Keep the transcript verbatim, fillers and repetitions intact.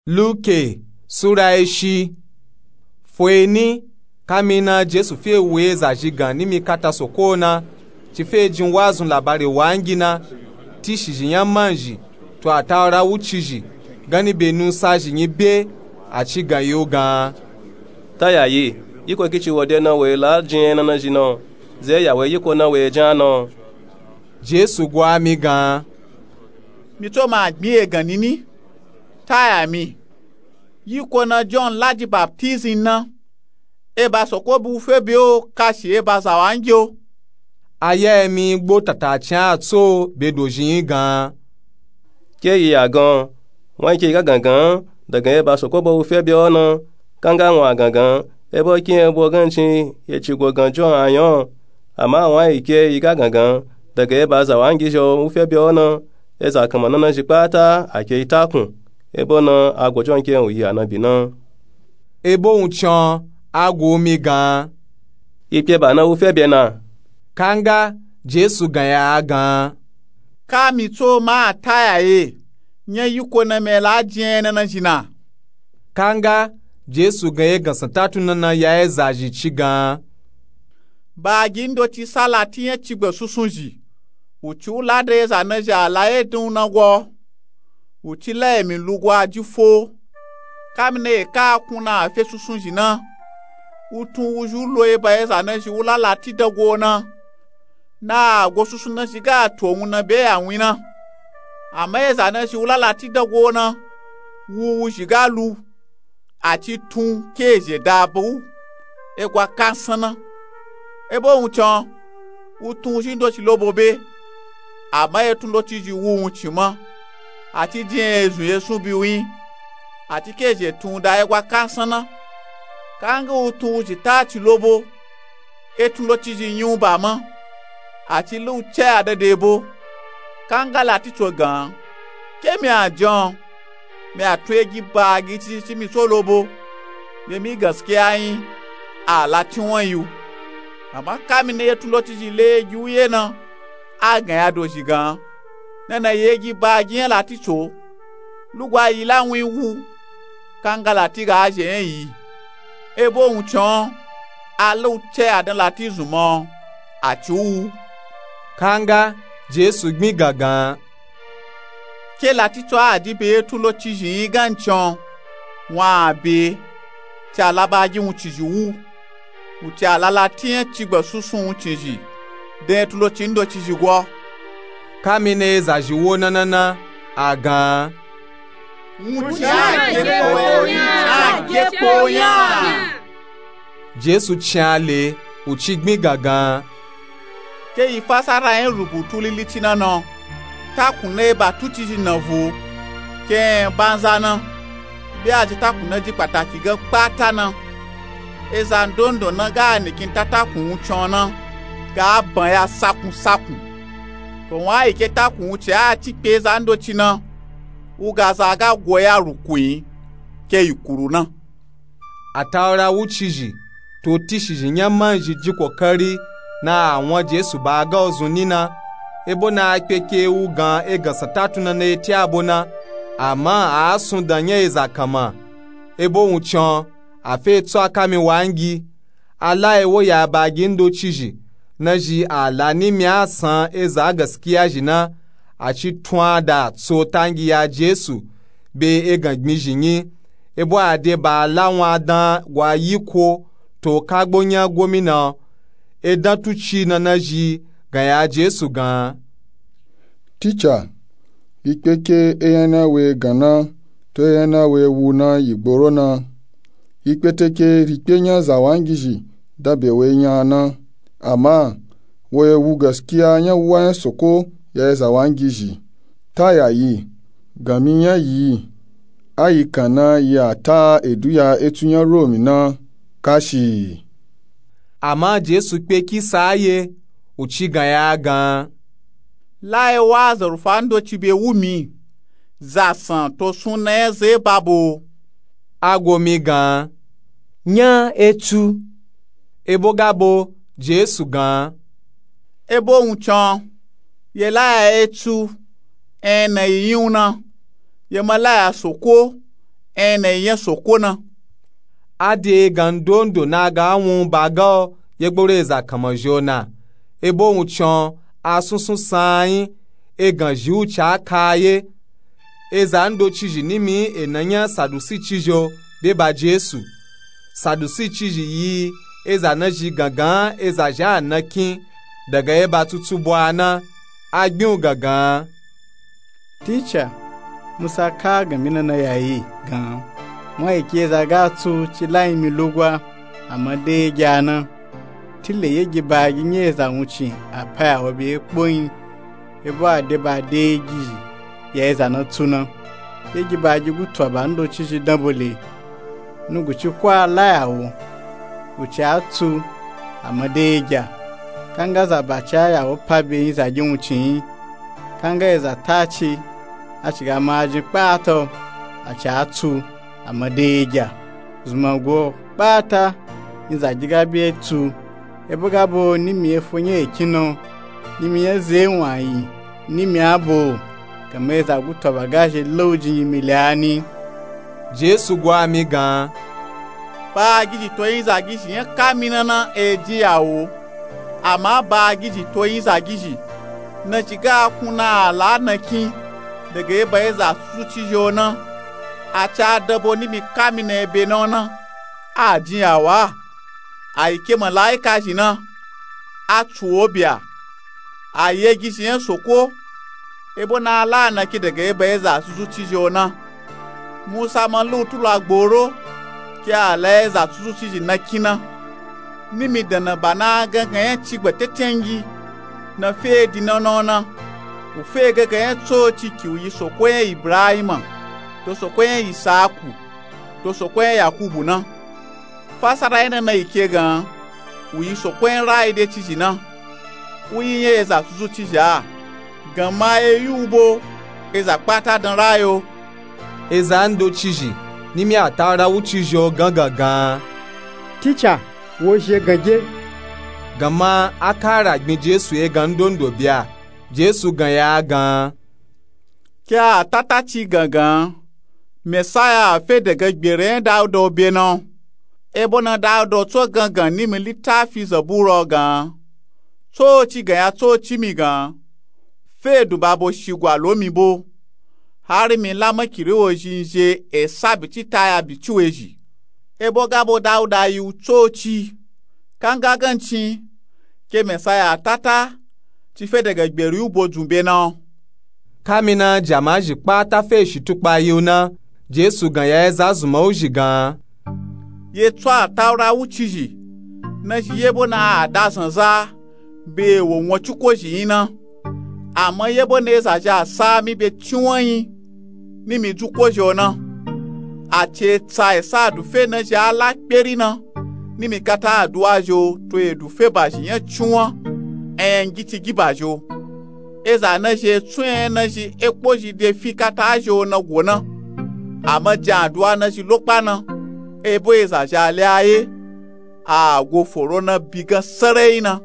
Luke sura eshi. Foeni, kamina Jesu fe wu ezazhi gan nimi kata soko na, ci fe jin wazun labari wangi na, tishizhi nya manzhi, to atawura wucizhi, gani be nusazhi nyi be, a ci gan yi u gan. Tayayi, yiko ki ci wo de na wo yi la jin enana zhi na, ze ya wo yi yiko na wo yi jan na. Jesu gwa mi gan. Mi tso ma gbin egan nini. Taya mi. Yiko na John la ji baptism na, eba soko bu fe be o kashi eba zawangi o. Aya emi gbo tata cin a tso be dozhin yi gan. Ke yi ya gan, wan yi ke yi ga gangan, dagan eba soko bo wu fe be o na, kanga wan a gangan, ebo kin ebo gan cin ye ci go gan John a yan. Ama wan yi ke yi ga gangan, dagan eba zawangi zhi o wu fe be o na, eza kanma nana zhi kpata a ke yi takun, ebo na a go John ke wu yi a na bi na. Ebo wuncin a gu mi gan. Yi kpe ba na wu fe be na. Kanga Jesu gan ya a gan. Ka mi tso ma a taya ye, nya yiko na mi la jin enana zhi na. Kanga Jesu gan ye gan san tatu nana ya ezazhi ci gan. Bagi ndoci sa lati nya cigba susun zhi, wu ci wu la da eza na zhi a la ye dun na gwa. Wu ci la emi lugwa ji fo. Kamina ye ka kun na a fe susun zhi na, wu tun wu zhi u lo eba eza na zhi wu la lati da gwa na. Na a go susun na zhi ga to wun na be ya win na. Ama eza na zhi wu la lati da gwa na, wu wu zhi ga lu, a ci tun ke ezhe da ba wu, egwa kansan na. Ebo wuncin, wu tun wu zhi ndoci lo bo be, ama etun ndoci zhi wu wuncin ma, a ci jin ezun ye sun bi win, a ci ke ezhe tun da egwa kansan na. Kanga wu tun wu zhi ta ci lo bo, etun ndoci zhi nyun ba ma, a ci lu ce a dade bo. Kanga lati tso gan. Ke mi a jan, mi a tun egi bagi ci ci mi tso lo bo, be mi gaskiya yin, a lati wan yi u. Ama kamina ye tun ndoci zhi le egi u ye na, a gan ya dozhi gan. Nana yi egi bagi nya lati tso, lugwa yi la win wu, kanga lati ga a zhe nya yi. Ebo wuncin, a lu ce a dan lati zun ma, a ci wu. Kanga Jesu gbin gangan. Ke lati tso a di be ye tun ndoci zhi yin gan cin, wan a be, ci a la bagi wuncin zhi wu. Wu ci a la lati nya cigba susun wuncin zhi, dan etun ndoci ndoci zhi gwa. Kamina ezazhi wo nana na, a gan. Wuncin a ge kpo nya, a ge kpo nya. Jesu cin a le, wu ci gbin gangan. Ke yi fasara yin rubutu lili ci na na, takun na eba tuci zhi na vo, ke banza na, be a ji takun na ji kpataki ga kpata na. Eza ndondo na ga a nikin ta takun wuncin na, ga a ban ya sakun sakun. To wan a yi ke takun wuncin a ci kpe eza ndoci na, wu ga za ga go ya ruku yin, ke yi kuru na. Atawura wucizhi, to tishizhi nya manzhi ji kokari na a wan Jesu ba a ga ozun ni na, ebo na a kpe ke wu gan egan san tatu nana eti abo na, ama a sun dan nya eza kanma. Ebo wuncin, a fe tso a kami wangi, a la ewo ya bagi ndocizhi, na zhi a la nimi a san eza gaskiya zhi na, a ci tun a da tso tangi ya Jesu, be egan gbin zhi nyi, ebo a de ba a la wan dan gwa yiko, to kagbo nya gomina, edan tuci nana zhi gan ya Jesu gan. Tica, yi kpe ke eyan na we gan na, to eyan na we wu na yi gboro na. Yi kpete ke rikpe nya zawangizhi da be we nya na. Ama, wo ye wu gaskiya nya wuwa nya soko ya ye zawangizhi. Ta yayi, gami nya yi, a yi kan na yi a ta edu ya etu nya Romi na, kashi. Ama Jesu kpe kisa a ye, u ci gan ya gan. La ye wa azarufa ndoci be wu mi, za san to sun na nya ze ba bo. A go mi gan. Nya etu. Ebo ga bo, Jesu gan. Ebo wuncin, ye la ya etu, en na yi yin u na, ye ma la ya soko, enya na yi nya soko na. A de egan ndondo na a ga a wun u ba ga o yegboro eza kanmazhi o na. Ebo wuncin o a sunsun saan yin. Egan zhi u ci a ka a ye. Eza ndocizhi nimi ena nya sadusi cizhi o be ba jesu. Sadusi cizhi yi eza na zhi gangan eza zhi a nakin daga eba tutubu a na. A gbin u gangan. Tica, musa ka a gan mi na na ya yi gan. Wun a yi ke eza ga tsu ci la yin mi lugwa. Ama de egya na. Tile yegi baagi nyi eza wuncin a pa ya wo be ekpo yin. Ebo a de ba de yegi zhi ya eza na tsu na. Yegi baagi gutu a ba ndocizhi danbole. Nuguci ko a la ya wo. Wuci a tsu. Ama de egya. Kanga za ba ci a ya wo pa be yin zagi wuncin yin. Kanga eza ta ci. A ci ga maajin kpata o. A ci a tsu. Ama de egya. Zunmango kpata. Yin zagi ga be tsu. Ebo ga bo nimi efo nya ekin na o. Nimi nya ze wun a yi. Nimi a bo. Kama eza gutu a ba ga zhi la u jin yimili a ni. Jesu gwa mi gan. Baagizhi to yin zagizhi nya kamina na e jin ya wo. Ama baagizhi to yin zagizhi na zhi ga a kun na a la nakin daga eba eza susu cizhi o na. A ci a danbo nimi kamina ebe na o na. A jin ya wo a. A yi ke malaika zhi na. A tsu wo bya. A yegi zhi nya soko. Ebo na a la a nakin daga eba eza susu cizhi o na. Musa ma lu tula gboro. Ke a la eza susu cizhi nakin na. Nimi dana ba na a gangan nya ci gba tetengi. Na fe di na na o na. U fe gangan nya tsoci ki u yi soko nya ibrahima. To soko nya isaku. To soko nya yakubu na. Fasara nya na na yi ke gan. U yi soko nya rayi de cizhi na. U yi nya eza susu cizhi a. Gan ma e yi u bo. Eza kpata dan rayi o. Eza ndocizhi nimi a ta ra wucizhi o gangan gan. Tica, wo zhi egan ge. Gan ma a ka ra gbin jesu egan ndondo bya. Jesu gan ya a gan. Ke a ta ta ci gangan. Mesaya a fe daga gbere nya dauda o be na o. Ebo na dauda o tso gangan nimi litafi zabura o gan. Tsoci gan ya tsoci mi gan. Fe dun ba bo shigwa lo mi bo. Hari mi la makiri wo zhi n zhe esa bicita ya bici we zhi. Ebo ga bo dauda yi u tsoci. Kanga gancin. Ke mesaya a ta ta. Ci fe daga gberi u bo dzun be na o. Kamina jama zhi kpata fe shi tukpa yi u na. Jesu gan ya eza zunman u zhi gan. Ye tso a taura wucizhi. Na zhi yebo na a da zanza. Be wo won cuko zhi yin na. Ama yebo na eza zhi a sa mi be ciwan yin. Nimi dzuko zhi o na. A ci etsa esa adufe na zhi a la kperi na. Nimi kata aduwa zhi o to edufe ba zhi nya ciwan. Enyangyi ci gi ba zhi o. Eza na zhi etsun enya na zhi ekpo zhi de fi kata zhi o na go na. Ama jan aduwa na zhi lokpa na. Ebo eza zhi a le a ye. A go foro na bi gan sarai na.